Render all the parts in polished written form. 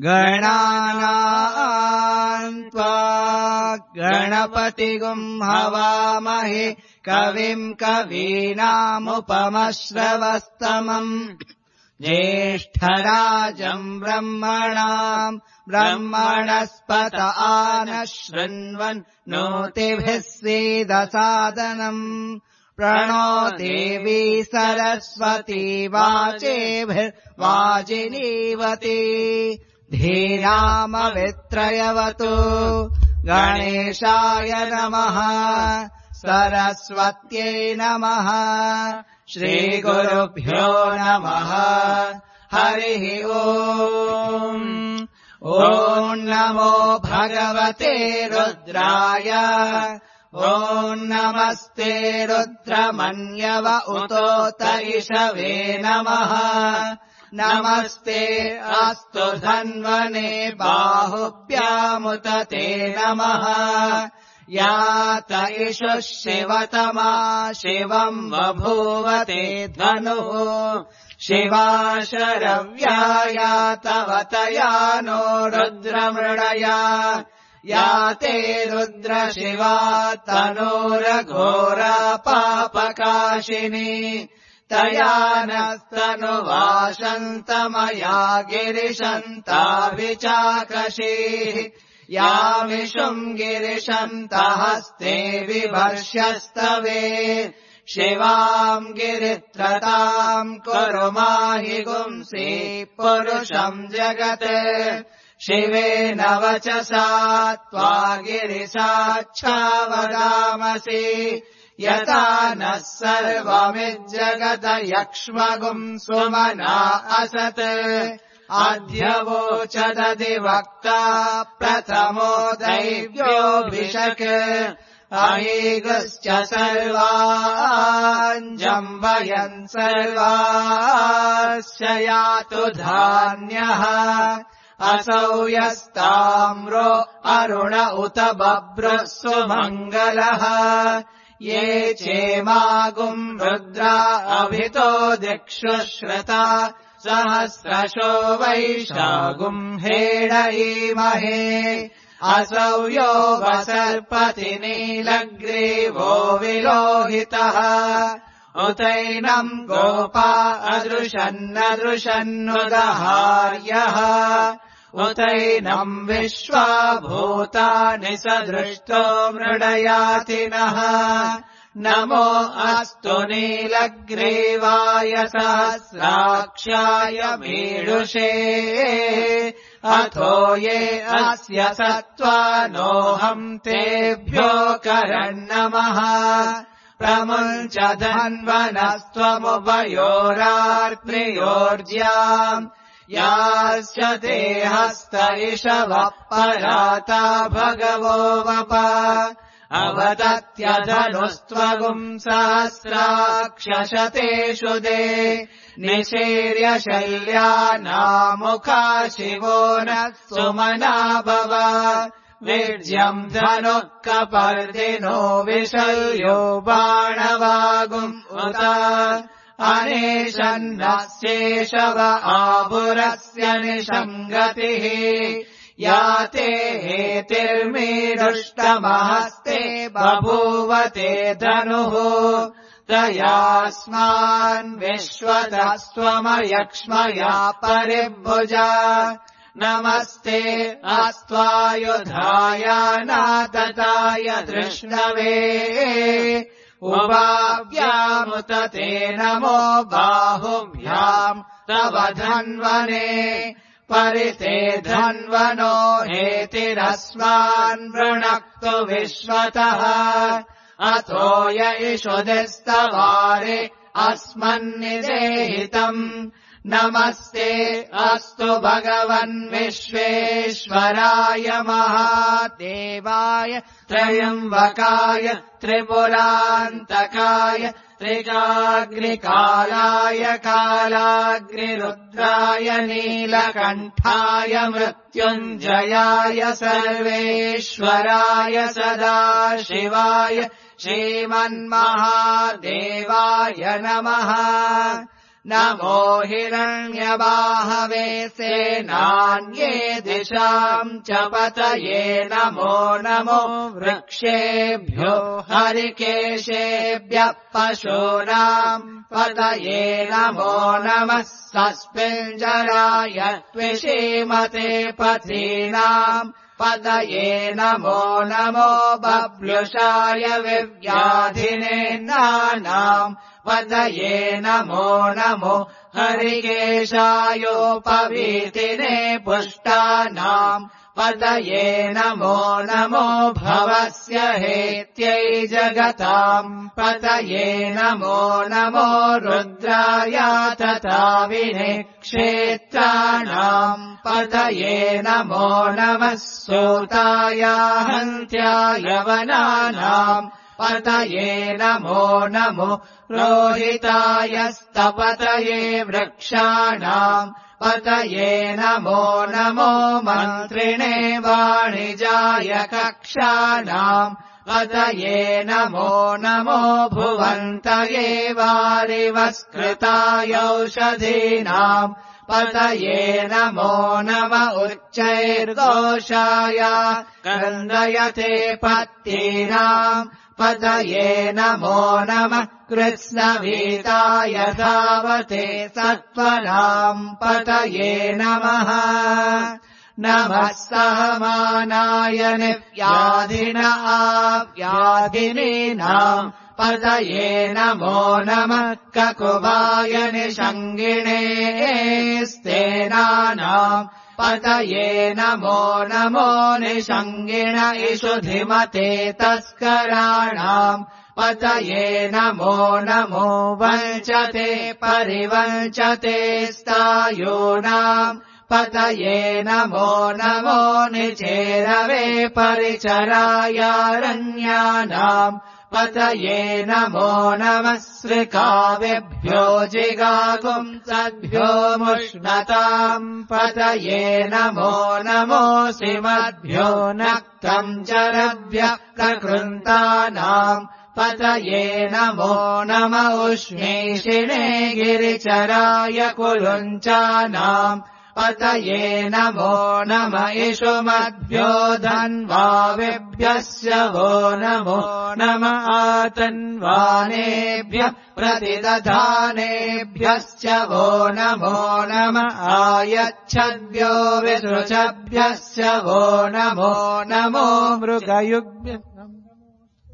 गणानाम् त्वा गणपतिगुं हवामहे कविम् कवीनामुपमश्रवस्तमम् ज्येष्ठराजम् ब्रह्मणाम् ब्रह्मणस्पत आनः शृण्वन् नोतिभिः सीदसादनम् प्रणो देवी सरस्वती वाचेभिर्वाजिनीवती धीरामवित्रयवतु गणेशाय नमः सरस्वत्यै नमः श्रीगुरुभ्यो नमः हरिः ओम् ॐ नमो भगवते रुद्राय ॐ नमस्ते रुद्रमन्यव उतोत इषवे नमः नमस्ते अस्तु धन्वने बाहुभ्यामुत ते नमः यात इषुः शिवतमा शिवम् बभूवते धनुः शिवा शरव्या यातवतया नो रुद्रमृडया याते रुद्रशिवा तनोरघोरा पापकाशिनी तया नस्तनुवाशन्तमया गिरिशन्ताभिचाकशीः यामिषुम् गिरिशन्तहस्ते विभर्ष्यस्तवे शिवाम् गिरित्रताम् कुरु माहि गुंसि पुरुषम् जगत् शिवेन वचसा त्वा गिरिसाक्षा वदामसि यथा नः सर्वमिज्जगत यक्ष्मगुम् सुमना असत् आद्यवोचदधिवक्ता प्रथमो दैव्योऽभिषक् अहीगश्च सर्वान् जम्बयन् सर्वाश्च यातु धान्यः असौ यस्ताम्रो अरुण उत बभ्रः सुमङ्गलः ये चेमागुम् रुद्रा अभितो दिक्षु श्रुता सहस्रशो वैशागुम् हेडयीमहे असौ यो वसर्पति नीलग्रीवो विलोहितः उतैनम् गोपा अदृशन्नदृशन्नुदहार्यः उतैनम् विश्वा भूतानि सदृष्टो मृडयातिनः नमो अस्तु नीलग्रीवाय सहस्राक्षाय मीडुषे अथो ये अस्य सत्त्वानोऽहम् तेभ्यो करन्नमः प्रमुञ्च धन्वनस्त्वमुभयोरार्त्रियोर्ज्याम् याश्च ते हस्त इषवः पराता भगवो वप अवदत्यधनुस्त्वगुम् सहस्राक्षशतेषु दे निशीर्य शल्यानामुखा शिवो नः सुमना भव वीर्यम् धनुः कपर्दिनो विशल्यो बाणवागुम् उत अनेशन्नस्येषव आभुरस्य निषङ्गतिः याते हेतिर्मीरुष्टमहस्ते बभूवते धनुः तयास्मान् विश्वतः स्वमयक्ष्मया परिभुजा नमस्ते अस्त्वायुधाय नातताय धृष्णवे उभाभ्यामुत ते नमो बाहुभ्याम् तव धन्वने परिते धन्वनो हेतिरस्मान् वृणक्तु विश्वतः अथो य इषुदिस्तवारे अस्मन्निदेहितम् नमस्ते अस्तु भगवन् विश्वेश्वराय महादेवाय त्रयम्बकाय त्रिपुरान्तकाय त्रिगाग्निकालाय कालाग्निरुद्राय नीलकण्ठाय मृत्युञ्जयाय सर्वेश्वराय सदाशिवाय श्रीमन्महादेवाय नमः। नमो हिरण्यबाहवे सेनान्ये दिशाम् च पतये नमो नमो वृक्षेभ्यो हरिकेशेभ्यः पशूनाम् पतये नमो नमः सस्मिञ्जराय त्विषीमते पथीनाम् पतये नमो नमो बभ्युषाय विव्याधिने नानाम् पतये नमो नमो हरिकेशायोपवीतिने पुष्टानाम् पतये नमो नमो भवस्य हेत्यै जगताम् पतये नमो नमो रुद्राय तथाविने क्षेत्राणाम् पतये नमो नमः सूताय हन्त्याय वनानाम् पतये नमो नमो रोहिताय स्तपतये वृक्षाणाम् पतये नमो नमो मन्त्रिणे वाणिजाय कक्षाणाम् पतये नमो नमो भुवन्तये वारिवस्कृताय औषधीनाम् पतये नमो नम उच्चैर्घोषाय क्रन्दयते पत्तीनाम् पतये नमो नमः कृत्स्नवीताय धावते सत्त्वनाम् पतये नमः। नमः सहमानाय निव्याधिन आव्याधिनीनाम् पतये नमो नमः ककुभाय निषङ्गिणे स्तेनानाम् पतये नमो नमो निषङ्गिण इषुधिमते तस्कराणाम् पतये नमो नमो वञ्चते परिवञ्चते स्थायूनाम् पतये नमो नमो निचेरवे परिचरायारण्यानाम् पतये नमो नमः श्रिकावेभ्यो जिगागुम् सद्भ्यो मुष्णताम् पतये नमो नमो श्रीमद्भ्यो नक्तम् चरभ्यः प्रकृन्तानाम् पतये नमो नम उष्णीषिणे गिरिचराय कुलुञ्चानाम् पतये नमो नम इषुमद्भ्यो धन्वाविभ्यस्य वो नमो नम आतन्वानेभ्यः प्रतिदधानेभ्यश्च वो नमो नम आयच्छद्भ्यो विसृजभ्यश्च वो नमो नमो मृगयुग्भ्यः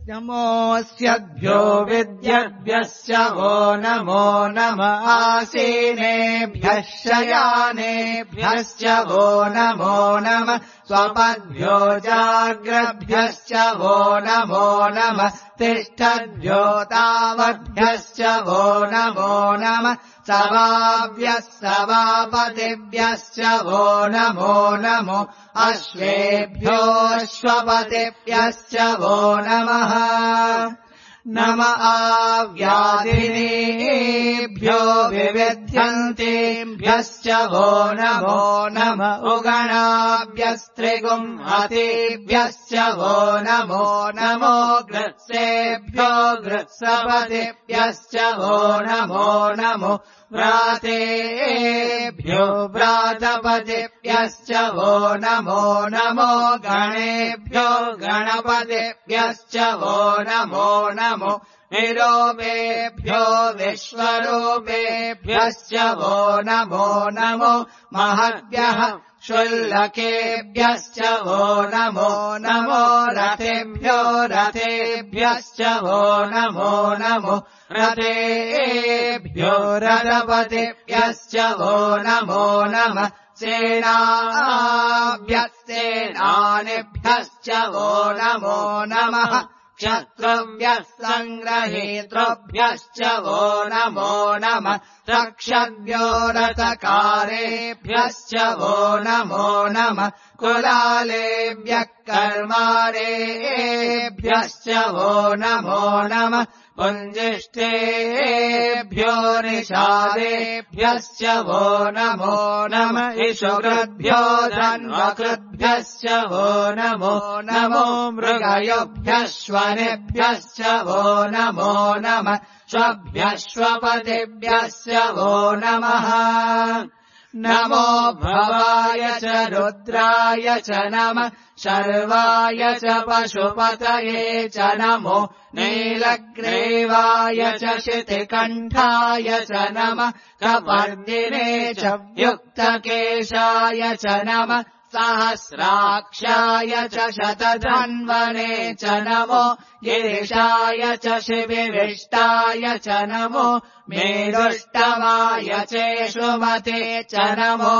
नमोऽस्यभ्यो विद्यभ्यश्च वो नमो नम आसीनेभ्यः शयानेभ्यश्च वो नमो नम स्वपद्भ्यो जाग्रभ्यश्च वो नमो नम तिष्ठद्भ्यो तावद्भ्यश्च वो नमो नम सवाभ्यः सवापतिभ्यश्च वो नमो नमो अश्वेभ्यो अश्वपतिभ्यश्च वो नमः। नम आव्याधिनीभ्यो विविध्यन्तेभ्यश्च वो नमो नम उगणाभ्यस्त्रिगुंहतेभ्यश्च वो नमो नमो गृत्सेभ्यो गृत्सपतिभ्यश्च वो नमो नमो व्रातेभ्यो व्रातपतिभ्यश्च वो नमो नमो गणेभ्यो गणपतिभ्यश्च वो नमो नमो निरूपेभ्यो विश्वरूपेभ्यश्च वो नमो नमो महद्भ्यः शुल्लकेभ्यश्च वो नमो नमो रथेभ्यो रथेभ्यश्च वो नमो नमो रथेभ्यो रथपतिभ्यश्च वो नमो नमः सेनाभ्यः सेनानिभ्यश्च वो नमो नमः क्षत्रव्यः सङ्ग्रहेतृभ्यश्च वो नमो नमः रक्षद्भ्यो रथकारेभ्यश्च वो नमो नमः कुलालेभ्यः कर्मारेभ्यश्च वो नमो नमः पुञ्जिष्ठेभ्यो निषादेभ्यश्च वो नमो नमः इषुकृद्भ्यो धन्वकृद्भ्यश्च वो नमो नमो मृगयोभ्यश्वनेभ्यश्च वो नमो नमः श्वभ्यश्वपतिभ्यश्च वो नमः नमो भवाय च रुद्राय च नमः शर्वाय च पशुपतये च नमो नीलग्रीवाय च शितिकण्ठाय च नमः कपर्दिने च युक्तकेशाय च नमः सहस्राक्षाय च शतधन्वने च नमो गिरिशाय च शिविविष्टाय च नमो मेरुष्टमाय चेषुमते च नमो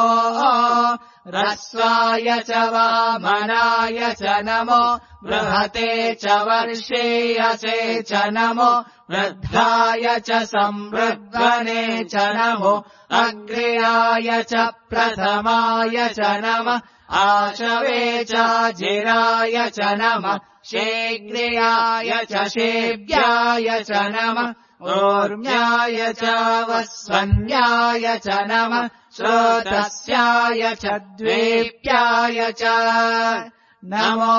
रस्वाय च वामनाय च नमो बृहते च वर्षीयसे च नमो वृद्धाय च संवृद्धने च नमो अग्र्याय च प्रथमाय च नमः आशवे चाजिराय च नमः शीघ्रियाय च शेव्याय च नमः ऊर्म्याय च वस्वन्याय च नमः श्रोतस्याय च द्वेप्याय च नमो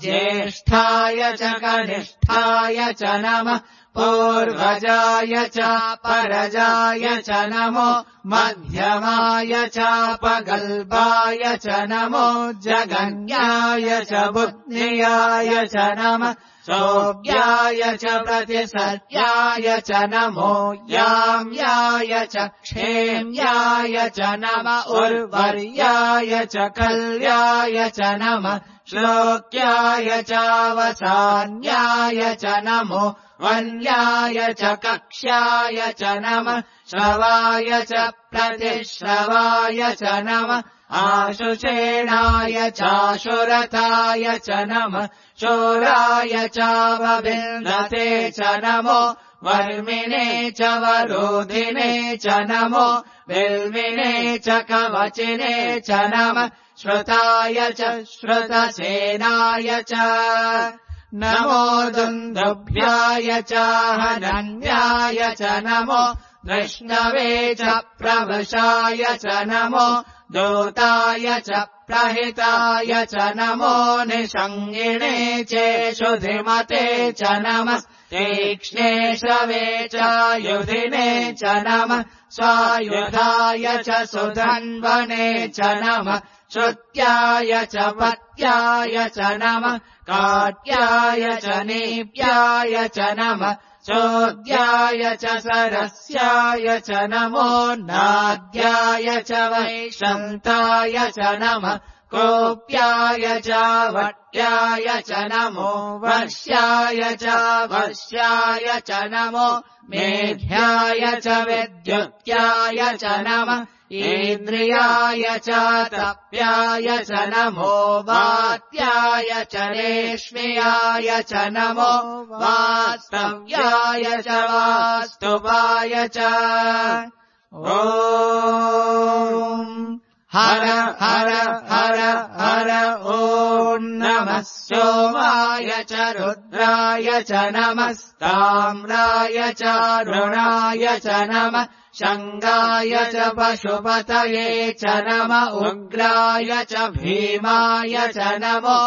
ज्येष्ठाय च कनिष्ठाय च नमः पूर्वजाय च परजाय च नमो मध्यमाय चापगल्भाय च नमो जगन्याय च बुद्ध्याय च नमः सोऽव्याय च प्रतिसत्याय च नमो याम्याय च क्षेम्याय च नमः उर्वर्याय च कल्याय च नमः श्लोक्याय चावसान्याय च नमो वन्याय च कक्ष्याय च नमः श्रवाय च प्रतिश्रवाय च नमः आशुषेणाय चाशुरथाय च नमः शूराय चावविन्दते च नमो वर्मिणे च वरोधिने च नमो बिल्विने च कवचिने च नमः श्रुताय च श्रुतसेनाय च नमो दुन्दुभ्याय च हनन्याय च नमो दृष्णवे च प्रवशाय च नमो दूताय च प्रहिताय च नमो निषङ्गिणे चेषुधिमते च नमः तीक्ष्णे श्रवे चायुधिने च नमः स्वायुधाय च सुधन्वने च नमः श्रुत्याय च पत्याय च नमः काट्याय च नीप्याय च नमः चोद्याय च सरस्याय च नमो नाद्याय च वैशन्ताय च नमः कोप्याय च वट्याय च नमो वर्ष्याय च वर्ष्याय च नमो मेघ्याय च विद्युत्याय च नमः इन्द्रियाय च तप्याय च नमो वात्याय च रेश्म्याय च नमो वास्तव्याय च वास्तुवाय च ॐ हर हर हर हर ॐ नमः सोमाय च रुद्राय च नमः ताम्राय च रुणाय च नमः शङ्गाय च पशुपतये च नमः उग्राय च भीमाय च नमो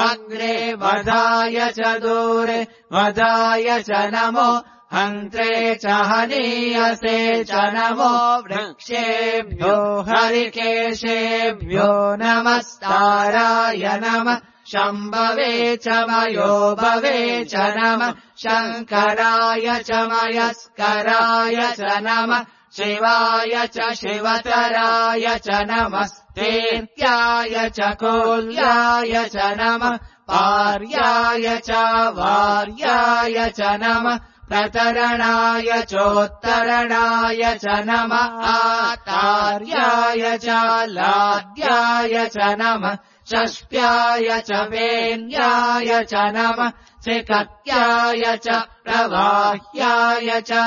अग्रे वधाय च दूरे वधाय च नमो हन्त्रे च हनीयसे च नमो वृक्षेभ्यो हरिकेशेभ्यो नमस्ताराय नमः शम्भवे च मयोभवे च नमः शङ्कराय च मयस्कराय च नमः शिवाय च शिवतराय च नमः तीर्थ्याय च कोल्याय च नमः पार्याय च वार्याय च नमः प्रतरणाय चोत्तरणाय च नमः आतार्याय च लाद्याय च नमः षष्ट्याय च वेन्याय च नमः त्रिकट्याय च प्रवाह्याय च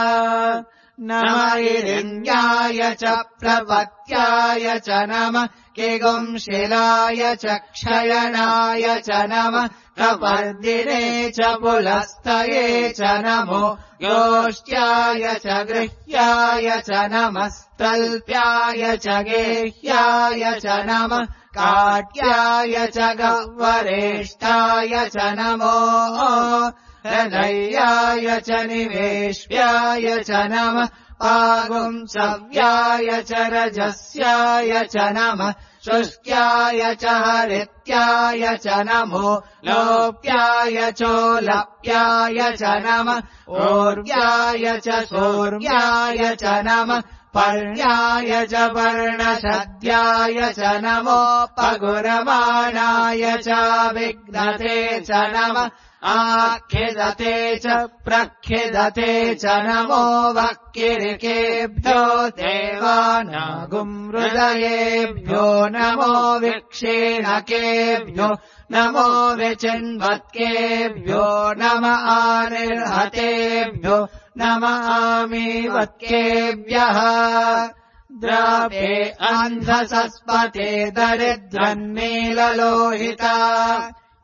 नमः इरिण्याय च प्रपत्याय च नमः किगुंशिलाय च क्षयनाय च नमः कपर्दिने च पुलस्तये च नमो गोष्ट्याय च गृह्याय च नमः तल्प्याय च गेह्याय च नमः काट्याय च गह्वरेष्ठाय च नमो हृदयाय च निवेश्याय च नमः पागुंसव्याय च रजस्याय च नमः शुष्क्याय च हरित्याय च नमो लोप्याय चोलप्याय च नमः ऊर्व्याय च सूर्व्याय च नमः पर्ण्याय च पर्णशद्याय च नमो पगुरमाणाय च विघ्नते च नमः आखिदते च प्रखिदते च नमो वक्किरिकेभ्यो देवानागुंहृदयेभ्यो नमो विक्षीणकेभ्यो नमो विचिन्वत्केभ्यो नम आनिर्हतेभ्यो नम आमीवत्केभ्यः द्रावे अन्धसस्पते दरिद्रन्नीललोहिता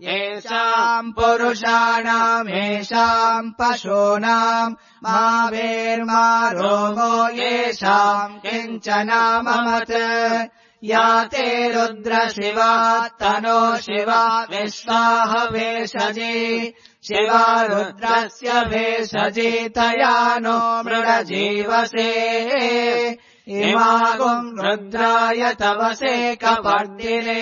येषाम् पुरुषाणामेषाम् पशूनाम् मावेर्मा रोगो येषाम् किञ्चनाममत् या ते रुद्रशिवा तनो शिवा विश्वाह भेषजी शिवा रुद्रस्य भेषजी तया नो मृडजीवसे इमागुम् रुद्राय तवसे कपर्दिने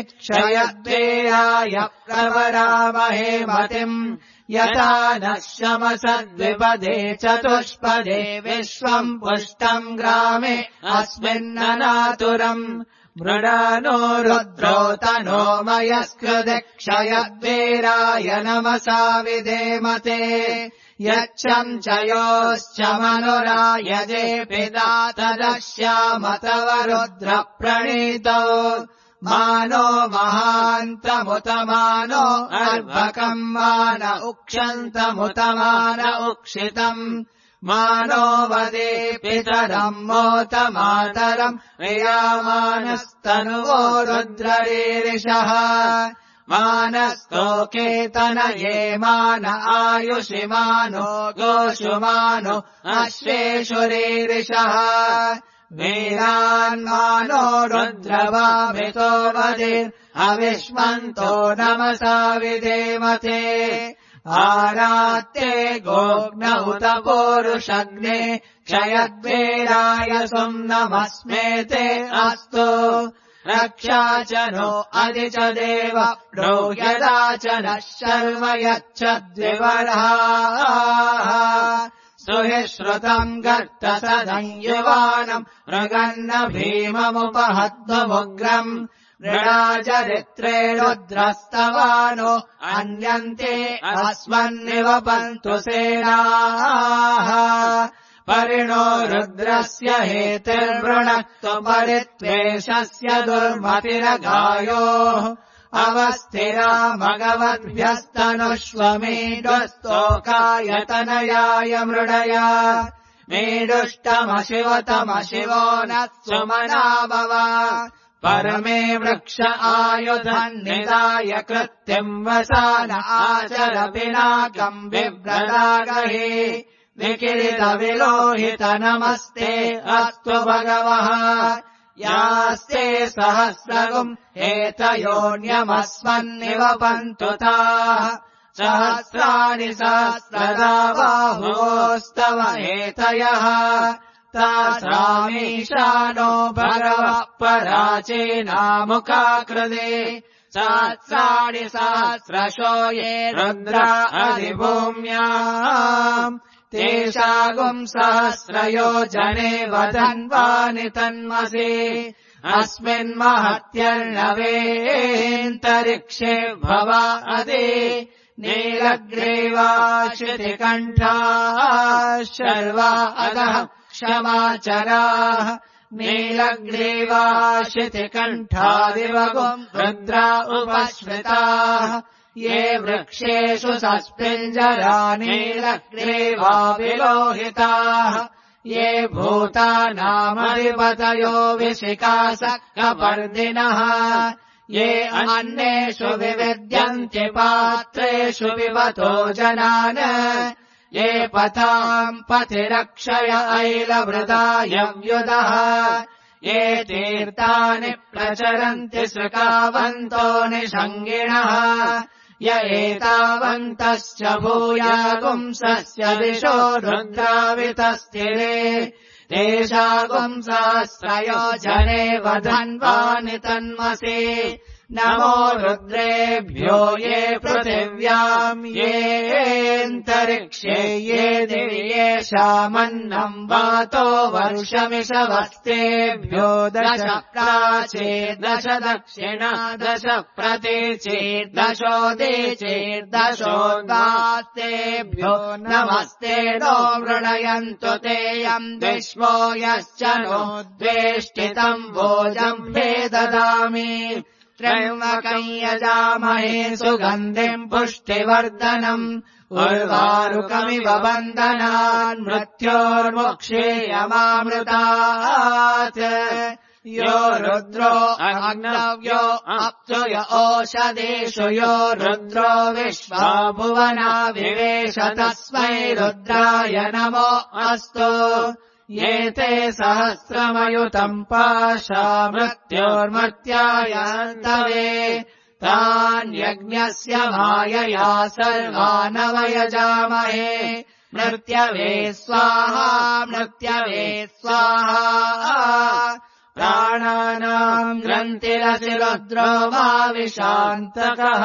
क्षयद्वेयाय प्रवरामहे मतिम् यथा नः शमसद्विपदे चतुष्पदे विश्वम् पुष्टम् ग्रामे अस्मिन्ननातुरम् मृडानो रुद्रो तनो मयस्कृते क्षयद्वीराय नमसा विधेमते यच्छम् च योश्च मनुरायजे पिता तदश्याम तव रुद्र प्रणीतौ मानो महान्तमुतमानो अर्भकम् मान उक्षन्तमुतमान उक्षितम् मानो वदे पितरम् मोत मातरम् प्रियामानस्तनुवो रुद्ररीरिषः मानस्तोकेतनये मान आयुषि मानो गोषुमानो अश्वेषुरीरिषः वीरान्मानो रुद्रवामितो वदिर् अविष्मन्तो नमसा विधेमते आरात्ते गोग्न उत पूरुषग्ने क्षयद्वीराय सुम्नमस्मेते अस्तु रक्षा च नो अधि च देव ब्रूह्यदा च नः शर्म यच्छद्विवर्हाः सुहिश्रुतम् गर्तसदं मृगन्न भीममुपहत्वमुग्रम् मृडाचरित्रे रुद्रस्तवानो अन्यन्ते अस्मन्निवपन्तु सेनाः परिणो रुद्रस्य हेतिर्वृणक्तु परित्वेषस्य दुर्मतिरगायोः अवस्थिरा मगवद्भ्यस्तनुष्वमीडुस्तोकायतनयाय मृडया मीडुष्टमशिवतमशिवो न सुमना भव परमे वृक्ष आयुधन्निदाय कृत्यम् वसान आचर पिनाकम् बिभ्रदागहि निकिरितविलोहित नमस्ते अस्तु भगवः यास्ते सहस्रगुम् एतयोऽन्यमस्मन्निवपन्तु ताः सहस्राणि सहस्रदा बाहुस्तव एतयः तासामीशानो भगवः पराचीनामुखाकृते सहस्राणि सहस्रशो ये रुद्रा अधिभूम्याम् तेषागुम् सहस्रयोजने वदन्वानि तन्मसि अस्मिन्महत्यर्णवेऽन्तरिक्षे भवा अदे नीलग्रीवाश्रुतिकण्ठाः शर्वा अधः क्षमाचराः नीलग्रीवाशितिकण्ठादिवगुम् रुद्रा उपश्रिताः ये वृक्षेषु सस्पिञ्जरा नीलग्रीवा विलोहिताः ये भूतानामधिपतयो विशिखासक्कपर्दिनः ये अन्येषु विविद्यन्ति पात्रेषु विवतो जनान् ये पताम् पथिरक्षय ऐलवृतायव्युदः ये तीर्थानि प्रचरन्ति सृकावन्तो निषङ्गिणः य एतावन्तश्च भूयागुंसस्य दिशो रुद्रावितस्थिरे तेषागुंसहस्रयोजने वधन्वानि तन्मसि नमो रुद्रेभ्यो ये पृथिव्याम् येऽन्तरिक्षे ये दिवि येषामन्नम् वातो वर्षमिषवस्तेभ्यो दश प्राचीर्दश दक्षिणा दश प्रतीचीर्दशोदीचीर्दशोद्गास्तेभ्यो नमस्ते नो मृणयन्तु तेऽयम् विश्वो यश्च नो द्वेष्टितम् भोजम्भे ददामि त्र्यम्बकम् यजामहे सुगन्धिम् पुष्टिवर्धनम् उर्वारुकमिव बन्धनान् मृत्योर्मुक्षेयमामृतात् यो रुद्रो अग्नव्यो अप्सुय ओषधेषु यो रुद्रो विश्वा भुवना विवेश तस्मै रुद्राय नमो अस्तु ये ते सहस्रमयुतम् पाशा मृत्योर्मर्त्यायान्तवे तान्यज्ञस्य मायया सर्वानवयजामहे मृत्यवे स्वाहा मृत्यवे स्वाहा प्राणानाम् ग्रन्थिरसि रुद्रो भाविशान्तकः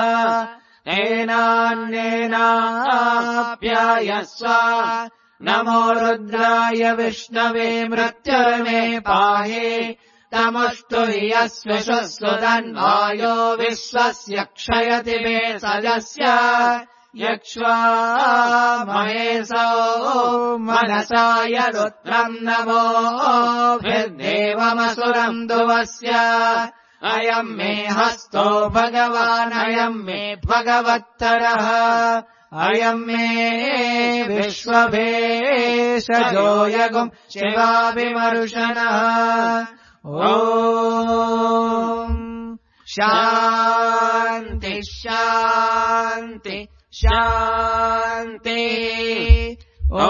तेनान्येनाप्यायस्व नमो रुद्राय विष्णवे मृत्युर्मे पाहि तमुष्टु हि यस्विषुसुधन्वायो विश्वस्य क्षयति मे सजस्य यक्ष्वा महेशो मनसाय रुद्रम् नमोभिर्देवमसुरम् दुवस्य अयम् मे हस्तो भगवान् अयम् मे भगवत्तरः अयम् मे विश्वभेषजो यगुम् शिवाभिमर्शनः ॐ शान्ति शान्ति शान्ति ॐ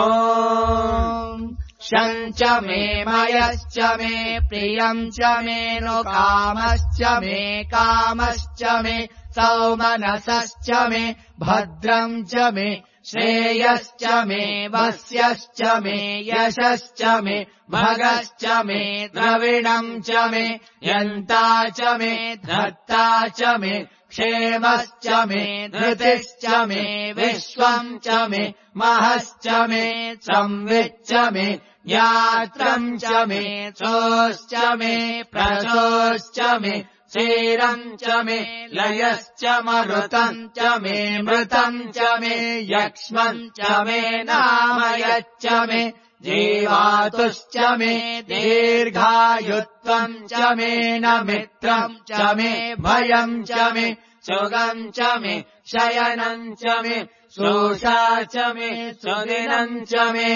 शञ्च मे मयश्च मे प्रियम् च मे नु कामश्च मे कामश्च मे सौमनसश्च मे भद्रम् च मे श्रेयश्च मे वस्यश्च मे यशश्च मे भगश्च मे द्रविणम् च मे यन्ता च मे धर्ता च मे क्षेमश्च मे धृतिश्च मे विश्वम् च मे महश्च मे संविच्च मे यात्रम् च मे चोश्च मे प्रचोश्च मे क्षीरम् च मे लयश्च मरुतम् च मे मृतम् च मे यक्ष्मम् च मे नामयच्च मे जीवातुश्च मे दीर्घायुत्वम् च मे न मित्रम् च मे भयम् च मे सुगम् च मे शयनम् च मे शोषा च मे सुदिनम् च मे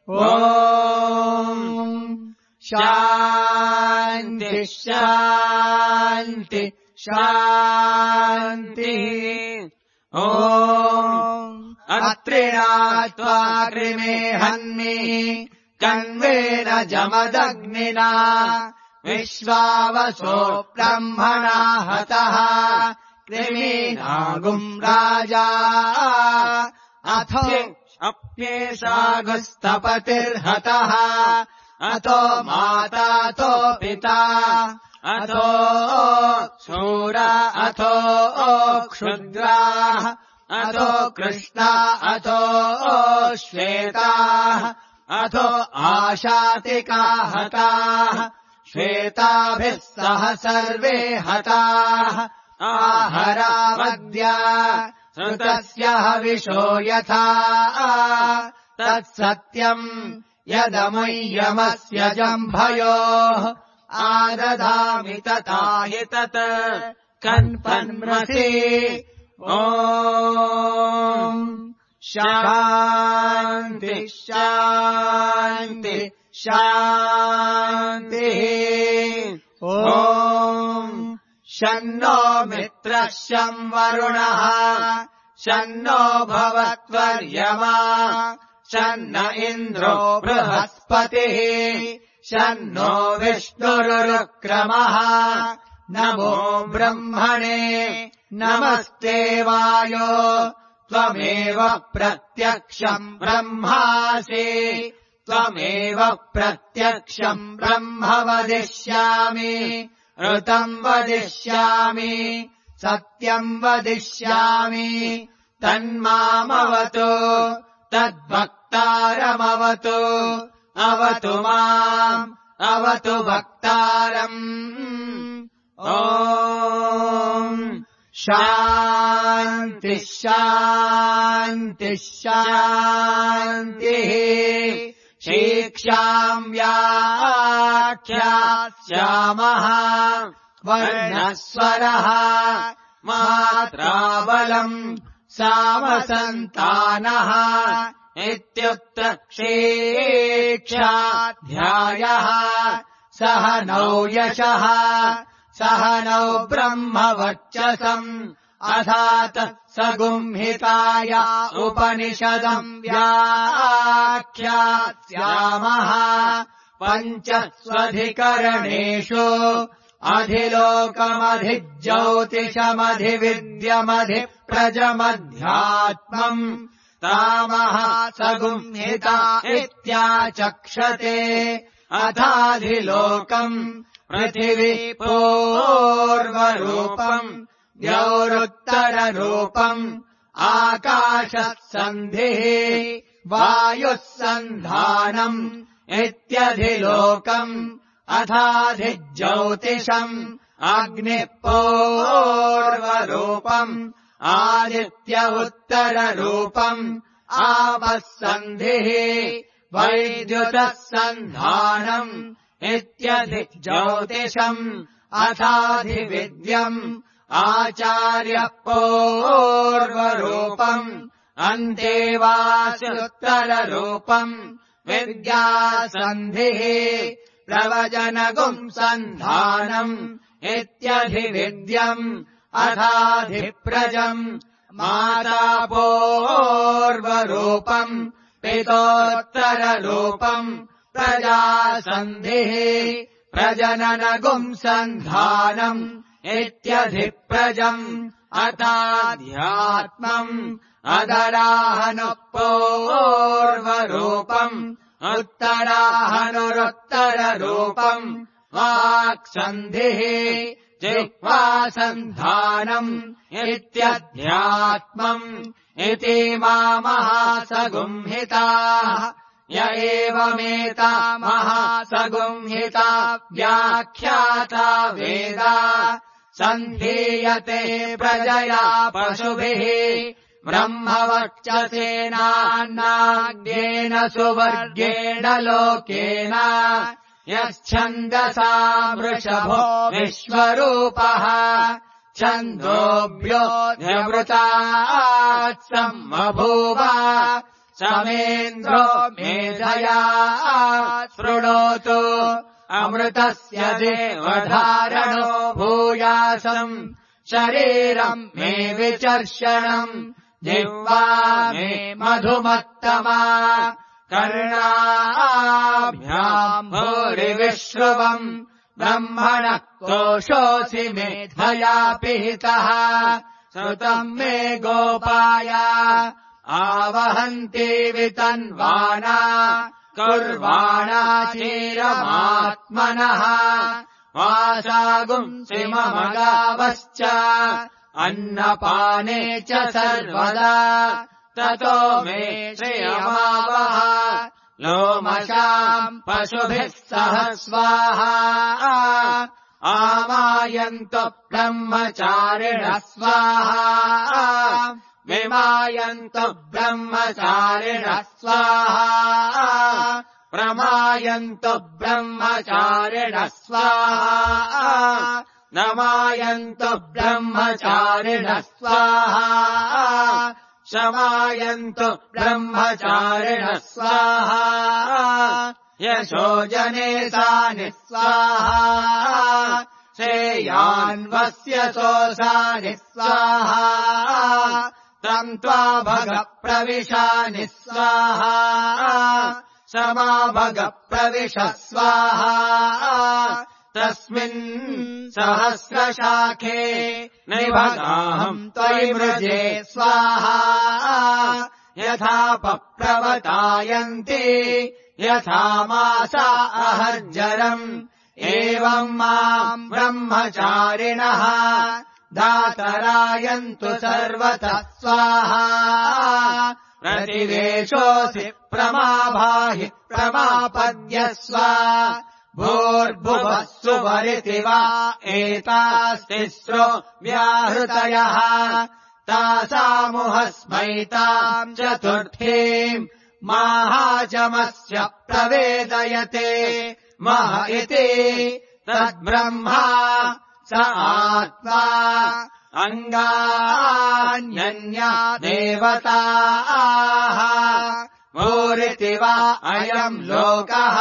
ॐ शान्ति शान्ति शान्तिः ॐ अत्रिणात्वा कृमे हन्मि कण्वेन जमदग्निना विश्वावसो ब्रह्मणा हतः कृमीनागुम् राजा अथो अप्येषागुस्तपतिर्हतः अथो मातातो पिता अथो शूरा अथो क्षुद्राः अथो कृष्णा अथो श्वेताः अथो आशातिका हताः श्वेताभिः सह सर्वे हताः आहरावद्या श्रुतस्य हविषो यथा तत्सत्यम् यदमुय्यमस्य जम्भयोः आदधामि तथा हि तत् कन्पन्मसि ॐ शान्ति शान्ति शान्तिः ॐ शन्नो मित्रः शं वरुणः शन्नो भवत्वर्यमा शन्न इन्द्रो बृहस्पतिः शन्नो विष्णुरुक्रमः नमो ब्रह्मणे नमस्ते वायो त्वमेव प्रत्यक्षम् ब्रह्मासि त्वमेव प्रत्यक्षम् ब्रह्म वदिष्यामि ऋतम् वदिष्यामि सत्यम् वदिष्यामि तन्मामवतु तद्भक्तारमवतु अवतु माम् अवतु भक्तारम् ॐ शान्ति शान्ति शान्तिः शिक्षाम् व्याख्यास्यामः वर्णस्वरः मात्राबलम् सामसन्तानः इत्युक्त शिक्षाध्यायः सह नौ यशः सह नौ ब्रह्मवर्चसम् अथात सगुंहिताय उपनिषदम् व्याख्यास्यामः पञ्चस्वधिकरणेषु अधिलोकमधिज्योतिषमधिविद्यमधिप्रजमध्यात्मम् तामः सगुंहिता इत्याचक्षते अथाधिलोकम् पृथिवी पूर्वरूपम् द्यौरुत्तररूपम् आकाशः सन्धिः वायुः सन्धानम् इत्यधिलोकम् अथाधिज्योतिषम् अग्निः पूर्वरूपम् आदित्य उत्तररूपम् आपः सन्धिः वैद्युतः सन्धानम् इत्यधिज्योतिषम् अथाधिविद्यम् आचार्यः पूर्वरूपम् अन्तेवासुत्तररूपम् विद्यासन्धिः प्रवचनगुम् सन्धानम् इत्यधिविद्यम् अथाधिप्रजम् माता पूर्वरूपम् पितोत्तररूपम् प्रजासन्धिः प्रजननगुम् सन्धानम् इत्यधिप्रजम् अथाध्यात्मम् अदराहनुः पूर्वरूपम् उत्तराहनुरुत्तररूपम् वाक्सन्धिः जिह्वासन्धानम् इत्यध्यात्मम् इति महासगुंहिताः य एवमेता महासगुंहिता व्याख्याता वेदा सन्धीयते प्रजया पशुभिः ब्रह्मवक्षसेनान्नाग्नेन सुवर्गेण लोकेन यश्छन्दसा वृषभो विश्वरूपः छन्दोभ्यो न्यवृतात् सम्बभूव समेन्द्रो मेधया शृणोतु अमृतस्य देवधारणो भूयासम् शरीरम् मे विचर्षणम् जिह्वा मे मधुमत्तमा कर्णाभ्याम् भूरिविश्रुवम् ब्रह्मणः कोशोऽसि मेधया पिहितः श्रुतम् मे गोपाय आवहन्ति वितन्वाना कुर्वाणा चीरमात्मनः वासागुंसि मम गावश्च अन्नपाने च सर्वदा ततो मे श्रियमावह लोमशाम् पशुभिः सह स्वाहा आमायन्तु ब्रह्मचारिणः स्वाहा विमायन्तु ब्रह्मचारिणः स्वाहा प्रमायन्तु ब्रह्मचारिणः स्वाहा नमायन्तु ब्रह्मचारिणः स्वाहा शमायन्तु ब्रह्मचारिणः स्वाहा यशो जनेतानि स्वाहा श्रेयान्वस्य सोऽसानि स्वाहा तम् त्वा भग प्रविशानि स्वाहा समा भग प्रविश स्वाहा तस्मिन् सहस्रशाखे निभगाहम् त्वयि मृजे स्वाहा यथा पप्रवतायन्ति यथा मासा अहर्जरम् एवम् माम् ब्रह्मचारिणः दातरायन्तु सर्वतः स्वाहा प्रतिवेशोऽसि प्रमाभाहि प्रमापद्यस्व भूर्भुवः सुवरिति वा एतास्तिस्रो व्याहृतयः तासामुहस्मैताम् चतुर्थीम् माहाचमस्य प्रवेदयते मह इति तद्ब्रह्मा स आत्मा अङ्गान्यन्या देवताः भूरिति वा अयम् लोकः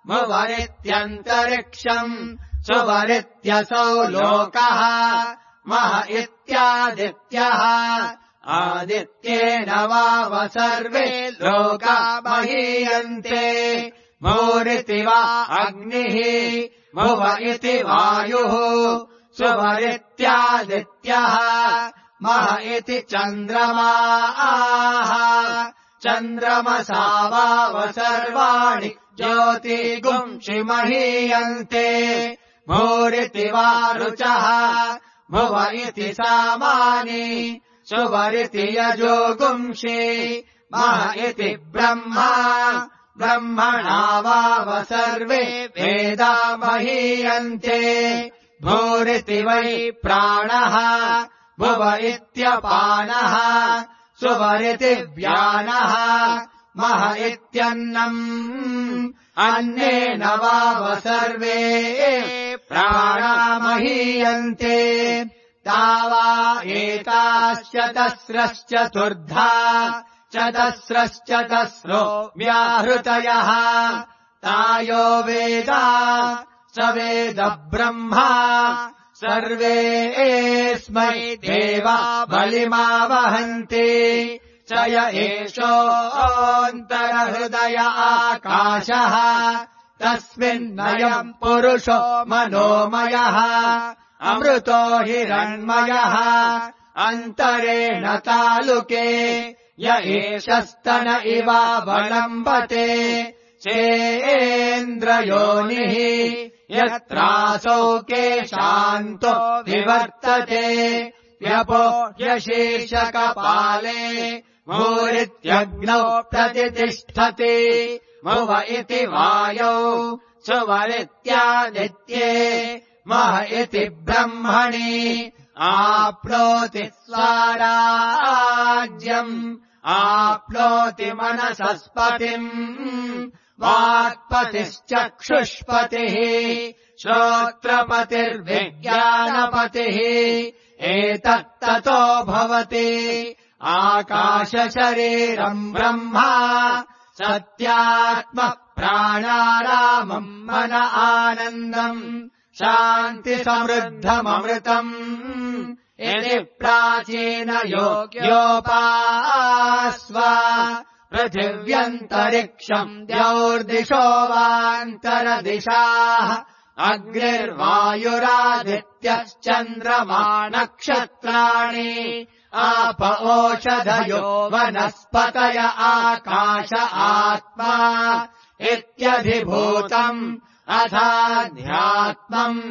भुवरित्यन्तरिक्षम् सुवरित्यसौ लोकः मह इत्यादित्यः आदित्येन वाव सर्वे लोका महीयन्ते भूरिति वा अग्निः भुव इति वायुः सुवरित्यादित्यः मह इति चन्द्रमाः चन्द्रमसा वाव सर्वाणि ज्योतिगुंषि महीयन्ते भूरिति वा रुचः भुव इति सामानि सुवरिति यजोगुंषि मह इति ब्रह्मा ब्रह्मणा वाव सर्वे वेदा महीयन्ते भूरिति वै प्राणः भुव इत्यपानः सुवरिति व्यानः मह इत्यन्नम् अन्नेन वाव सर्वे प्राणा महीयन्ते तावा एताश्चतस्रश्चतुर्धा चतस्रश्चतस्रो व्याहृतयः तायो वेदा स वेद ब्रह्मा सर्वेऽस्मै देवा बलिमावहन्ति च य एषोऽन्तरहृदय आकाशः तस्मिन्नयम् पुरुषो मनोमयः अमृतो हिरण्मयः अन्तरेण तालुके य एषस्तन इवावलम्बते चेन्द्रयोनिः यत्रासौ केशान्तो विवर्तते व्यपो यशीर्षकपाले भूरित्यग्नौ प्रतितिष्ठति भुव इति वायौ सुवरित्यादित्ये मह इति ब्रह्मणि आप्नोति स्वाराज्यम् आप्नोति मनसस्पतिम् वाक्पतिश्चक्षुष्पतिः श्रोत्रपतिर्विज्ञानपतिः एतत्ततो भवति आकाशशरीरम् ब्रह्मा सत्यात्म प्राणारामम् मन आनन्दम् शान्तिसमृद्धममृतम् यदि प्राचीनयोग्योपास्व पृथिव्यन्तरिक्षम् द्यौर्दिशो वान्तरदिशाः अग्निर्वायुरादित्यश्चन्द्रमा नक्षत्राणि आप ओषधयो वनस्पतय आकाश आत्मा इत्यधिभूतम् अथाध्यात्मम्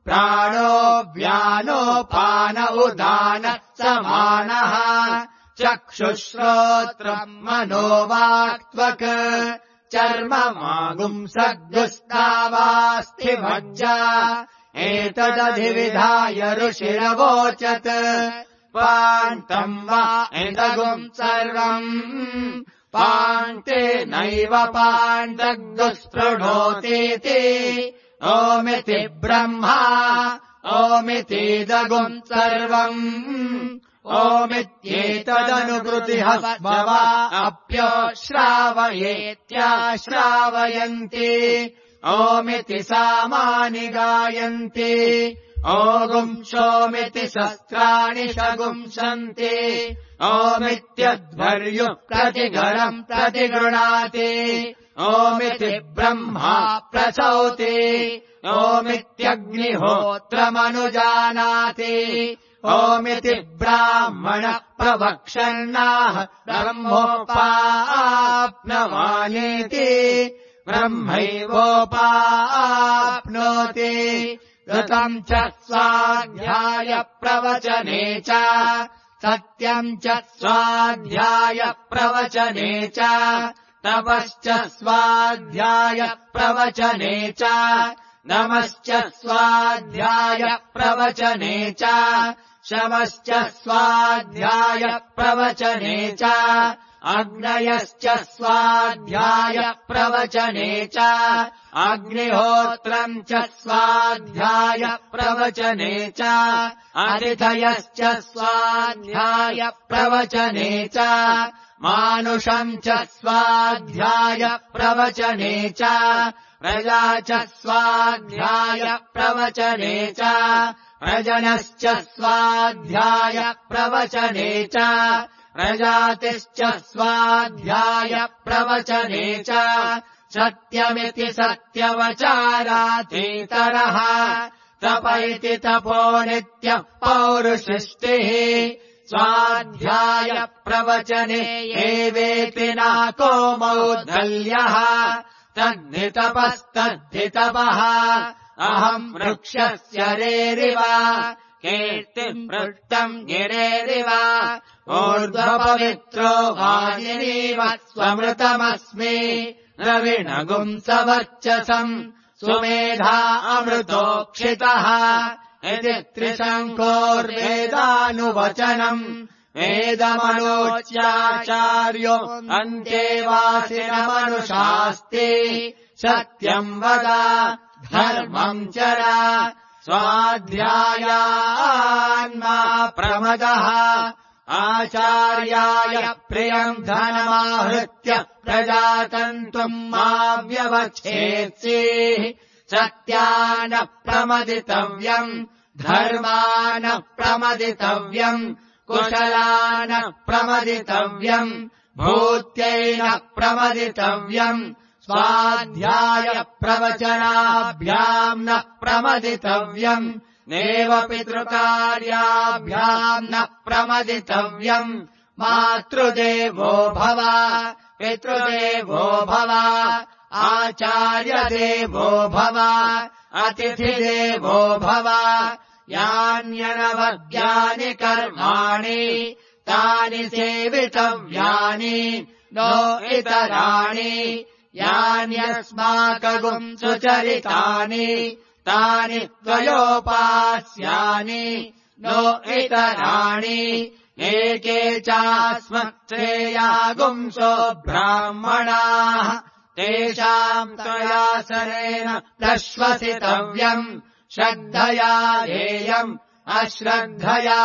प्राणो व्यानोपान उदान समानः चक्षुश्रोत्रम् मनोवाक्त्वक् चर्ममागुंसद्गुस्तावास्थिमज्जा एतदधिविधाय ऋषिरवोचत् पान्तम् वा एतगुम् सर्वम् पान्ते नैव पान्तग्दुःस्पृढोतीति ओमिति ब्रह्मा ओमितीदगुम् सर्वम् ओमित्येतदनुकृतिः भवा अप्यो श्रावयेत्याश्रावयन्ति ओमिति सामानि गायन्ति ओगुंशोमिति शस्त्राणि शगुंसन्ति ओमित्यध्वर्युः प्रतिघरम् प्रतिगृणाति ओमिति ब्रह्मा प्रचौति ओमित्यग्निहोत्रमनुजानाति ओमिति ब्राह्मणः प्रवक्षन्नाह ब्रह्मोपाप्नवानीति ब्रह्मैवोपाप्नोति ऋतम् च स्वाध्याय प्रवचने च सत्यम् च स्वाध्याय प्रवचने च तपश्च स्वाध्याय प्रवचने च नमश्च स्वाध्याय प्रवचने च शमश्च स्वाध्याय प्रवचने च अग्नयश्च स्वाध्याय प्रवचने च अग्निहोत्रम् च स्वाध्याय प्रवचने च अतिथयश्च स्वाध्याय प्रवचने च मानुषम् च स्वाध्याय प्रवचने च प्रजा च स्वाध्याय प्रवचने च प्रजनश्च स्वाध्याय प्रवचने च प्रजातिश्च स्वाध्याय प्रवचने च सत्यमिति सत्यवचारातीतरः तप इति तपो नित्यः पौरुषिष्टिः स्वाध्याय प्रवचने एवेति नाको मौद्गल्यः तद्धितपस्तद्धितपः अहम् वृक्षस्य रेरिव कीर्तिम् पृष्टम् गिरेरिव ऊर्ध्वपवित्रो वाजिनीव स्वमृतमस्मि रविणगुम् सवर्चसम् सुमेधा अमृतोक्षितः इति त्रिशङ्कोर्वेदानुवचनम् वेदमनोच्याचार्यो अन्तेवासिनमनुशास्ति सत्यम् वद धर्मम् चर स्वाध्यायान्मा प्रमदः आचार्याय प्रियम् धनमाहृत्य प्रजातन्तुम् मा व्यवच्छेत्सीः सत्यान प्रमदितव्यम् धर्मान प्रमदितव्यम् कुशलान प्रमदितव्यम् भूत्यैन प्रमदितव्यम् स्वाध्याय प्रवचनाभ्याम् न प्रमदितव्यम् नेव पितृकार्याभ्याम् न प्रमदितव्यम् मातृदेवो भव पितृदेवो भव आचार्यदेवो भव अतिथिदेवो भव यान्यनवद्यानि कर्माणि तानि सेवितव्यानि नो इतराणि यान्यस्माकगुम् सुचरितानि तानि त्वयोपास्यानि नो इतराणि एके चास्मत्श्रेयागुंसो ब्राह्मणाः तेषाम् त्वयासनेन प्रश्वसितव्यम् श्रद्धया धेयम् अश्रद्धया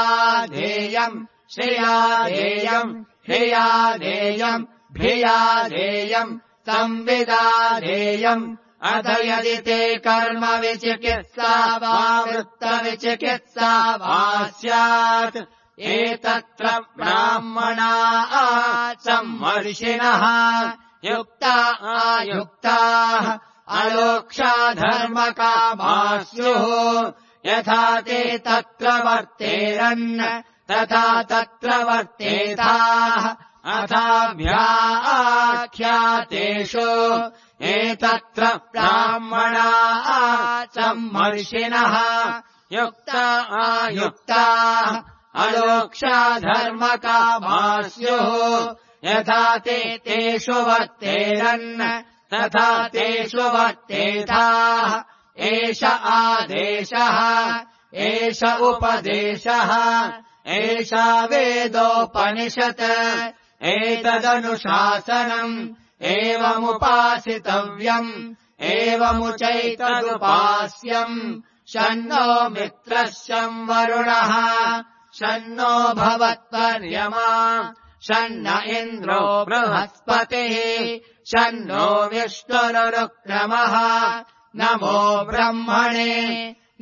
धेयम् श्रिया धेयम् ह्रिया धेयम् भिया धेयम् संविदा धेयम् अथ यदि ते कर्म विचिकित्सा वा वृत्तविचिकित्सा वा स्यात् एतत्र ब्राह्मणाः सम्मर्षिणः युक्ता आयुक्ताः अलोक्षाधर्मकामाः स्युः यथा ते तत्र वर्तेरन् तथा तत्र वर्तेताः अथाभ्याख्यातेषु एतत्र ब्राह्मणाः सम्मर्षिणः युक्ता आयुक्ताः अलोक्षाधर्मकामाः स्युः यथा ते तेषु वर्तेरन् तथा तेषु वर्तेताः एष आदेशः एष उपदेशः एषा वेदोपनिषत् एतदनुशासनम् एवमुपासितव्यम् एवमुचैतदुपास्यम् शन्नो मित्रः शं वरुणः शन्नो भवत्पर्यमा शन्न इन्द्रो बृहस्पतिः शन्नो विष्णुरुक्रमः नमो ब्रह्मणे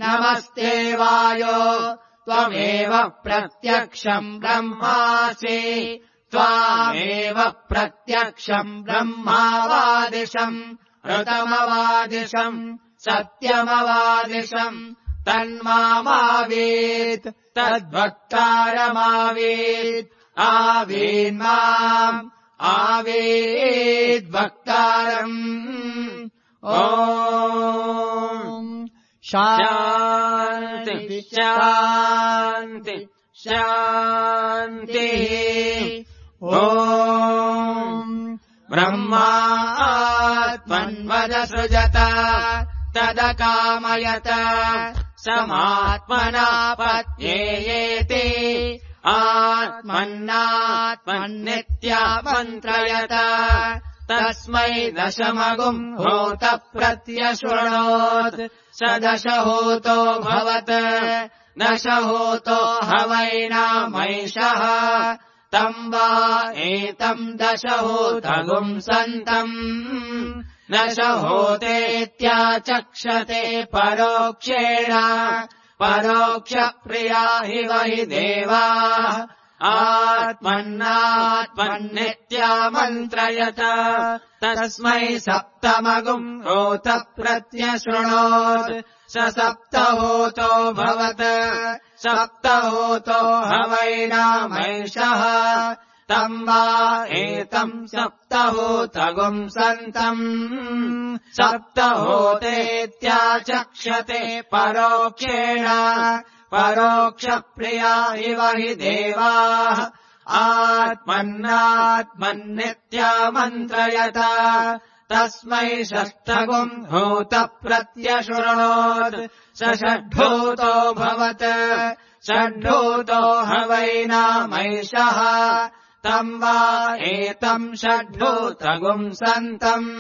नमस्ते वायो त्वमेव प्रत्यक्षम् ब्रह्मासि त्वामेव प्रत्यक्षम् ब्रह्मावादिशम् ऋतमवादिशम् सत्यमवादिशम् तन्मामावीत् तद्वक्तारमावीत् आवीन्माम् आवीद्वक्तारम् ॐ शान्ति शान्ति शान्तिः ॐ ब्रह्मात्मन्वदसृजत तदकामयत समात्मनापत्येयेति आत्मन्नात्मन्नित्यामन्त्रयत तस्मै दशमगुम् होत प्रत्यशृणोत् स दशहोतो भवत् दशहोतो हवैनामैषः तम् वा एतम् दशहोतगुम् सन्तम् दशहोतेत्याचक्षते परोक्षेण परोक्षप्रिया हि वै देवाः आत्मन्नात्मन्नित्यामन्त्रयत तस्मै सप्तमगुम् होत प्रत्यशृणोत् स सप्तहोतो भवत् सप्तहोतो हवैनामैषः तम् वा एतम् सप्तहोतगुम् सन्तम् सप्तहोतेत्याचक्षते परोक्षेण परोक्षप्रिया इव हि देवाः आत्मन्नात्मन्नित्यामन्त्रयत तस्मै षष्ठगुम् होत प्रत्यशृणोत् स षड्भूतो भवत् षड्भूतो हवैनामैषः तम् वा एतम् षड्भूतगुम् सन्तम्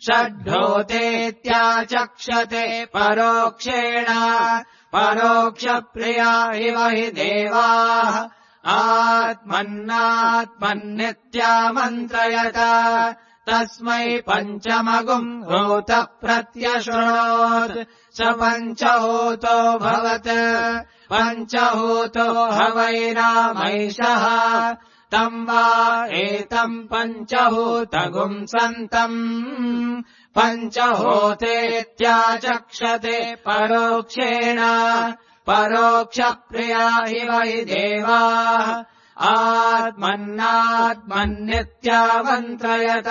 षड्भूतेत्याचक्षते परोक्षेण परोक्षप्रिया इव हि देवाः आत्मन्नात्मन्नित्यामन्त्रयत तस्मै पञ्चमगुम् होत प्रत्यशृणोत् स पञ्चहोतो भवत् पञ्चहोतो हवैनामैषः तम् वा एतम् पञ्चहोतगुम् सन्तम् पञ्चहोतेत्याचक्षते परोक्षेण परोक्षप्रिया हि वै देवाः आत्मन्नात्मन्नित्यामन्त्रयत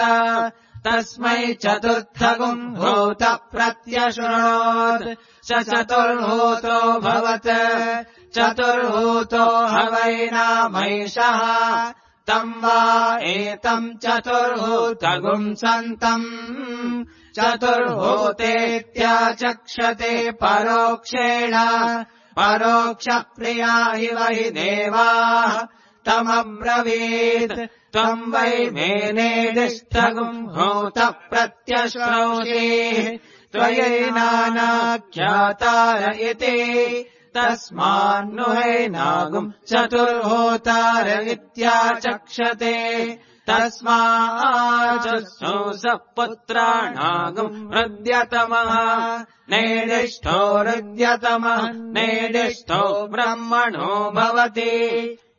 तस्मै चतुर्थगुम् होत प्रत्यशृणोत् स चतुर्होतो भवत् चतुर्होतो हवैनामैषः तम् वा एतम् चतुर्होतगुम् सन्तम् चतुर्होतेत्याचक्षते परोक्षेण परोक्षप्रिया हि वै देवाः तमब्रवीत् त्वम् वै मेनेदिष्टगुम् होत प्रत्यश्रौषि त्वयैनानाख्यातार इति तस्मान्नुहैनागुम् चतुर्होतार इत्याचक्षते तस्माच्चौ स पुत्राणागुम् हृद्यतमः नेदिष्ठो हृद्यतमः नेदिष्ठो ब्रह्मणो भवति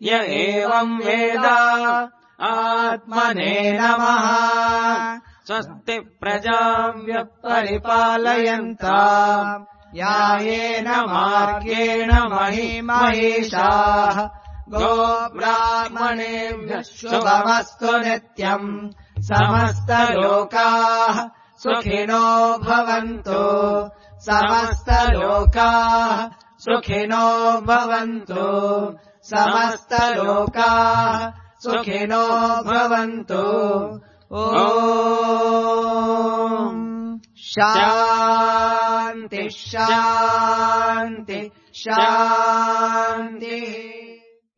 य एवम् वेद आत्मने नमः स्वस्ति प्रजाभ्यः परिपालयन्ताम् यायेन मार्गेण महिषाः गोब्राह्मणेभ्यः शुभमस्तु नित्यम् समस्तलोकाः सुखिनो भवन्तु समस्तलोकाः सुखिनो भवन्तु समस्तलोकाः सुखिनो भवन्तु ॐ शान्ति शान्ति शान्तिः